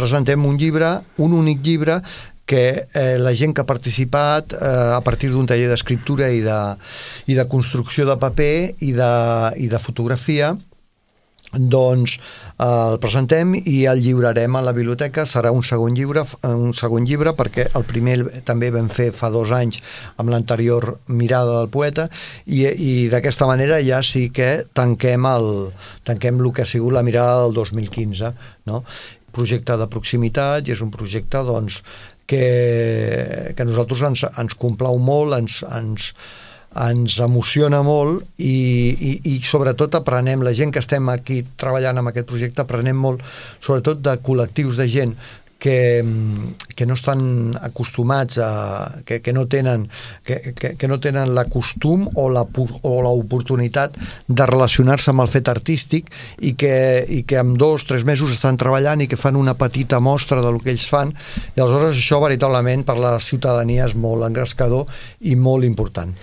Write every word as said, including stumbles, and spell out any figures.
presentem un llibre, un únic llibre, que eh, la gent que ha participat eh, a partir d'un taller d'escriptura i, de, i de construcció de paper i de, i de fotografia, doncs eh, el presentem i el lliurarem a la biblioteca. Serà un segon llibre, un segon llibre perquè el primer també vam fer fa dos anys amb l'anterior Mirada del poeta, i, i d'aquesta manera ja sí que tanquem el, tanquem el que ha sigut la Mirada del dos mil quinze, no? Projecte de proximitat, i és un projecte doncs que, que a nosaltres ens, ens complau molt, ens, ens, ens emociona molt, i, i, i sobretot aprenem, la gent que estem aquí treballant en aquest projecte, aprenem molt sobretot de col·lectius de gent que, que no estan acostumats a, que, que no tenen que, que, que no tenen la costum o la o l'oportunitat de relacionar-se amb el fet artístic, i que, i que en dos, tres mesos estan treballant i que fan una petita mostra del que ells fan, i aleshores això veritablement per la ciutadania és molt engrescador i molt important.